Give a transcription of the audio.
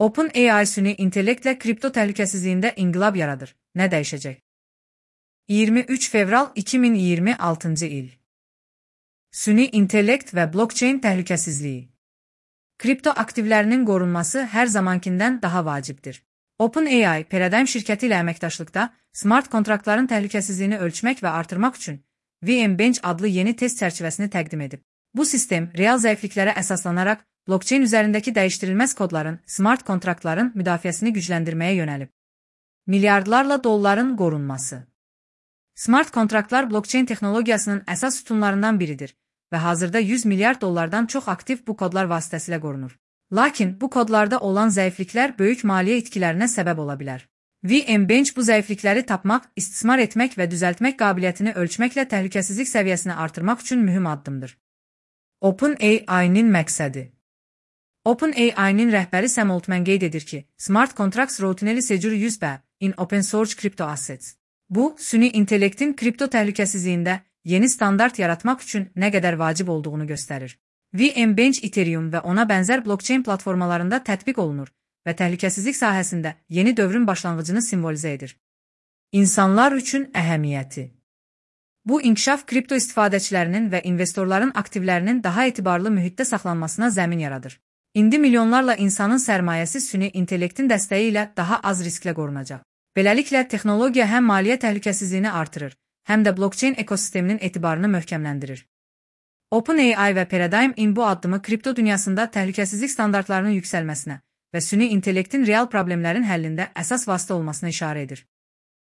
OpenAI süni intellektlə kripto təhlükəsizliyində inqilab yaradır. Nə dəyişəcək? 23 fevral 2026 il. Süni intellekt və blockchain təhlükəsizliyi. Kripto aktivlərinin qorunması hər zamankindən daha vacibdir. OpenAI, Paradigm şirkəti ilə əməkdaşlıqda smart kontraktların təhlükəsizliyini ölçmək və artırmaq üçün VMBench adlı yeni test çərçivəsini təqdim edib. Bu sistem real zəifliklərə əsaslanaraq blockchain üzərindəki dəyişdirilməz kodların, smart kontraktların müdafiəsini gücləndirməyə yönəlib. Milyardlarla dolların qorunması. Smart kontraktlar blockchain texnologiyasının əsas sütunlarından biridir və hazırda 100 milyard dollardan çox aktiv bu kodlar vasitəsilə qorunur. Lakin bu kodlarda olan zəifliklər böyük maliyyə itkilərinə səbəb ola bilər. VMBench bu zəiflikləri tapmaq, istismar etmək və düzəltmək qabiliyyətini ölçməklə təhlükəsizlik səviyyəsini artırmaq üçün mühüm addımdır. OpenAI-nin məqsədi. OpenAI-nin rəhbəri Sam Altman qeyd edir ki, Smart Contracts Routinely Secure Use in Open Source Crypto Assets. Bu, süni intellektin kripto təhlükəsizliyində yeni standart yaratmaq üçün nə qədər vacib olduğunu göstərir. VMBench Ethereum və ona bənzər blockchain platformalarında tətbiq olunur və təhlükəsizlik sahəsində yeni dövrün başlanğıcını simvolizə edir. İnsanlar üçün əhəmiyyəti. Bu inkişaf kripto istifadəçilərinin və investorların aktivlərinin daha etibarlı mühitdə saxlanmasına zəmin yaradır. İndi milyonlarla insanın sərmayəsi süni intellektin dəstəyi ilə daha az risklə qorunacaq. Beləliklə, texnologiya həm maliyyə təhlükəsizliyini artırır, həm də blockchain ekosisteminin etibarını möhkəmləndirir. OpenAI və Paradigm bu addımı kripto dünyasında təhlükəsizlik standartlarının yüksəlməsinə və süni intellektin real problemlərin həllində əsas vasitə olmasına işarə edir.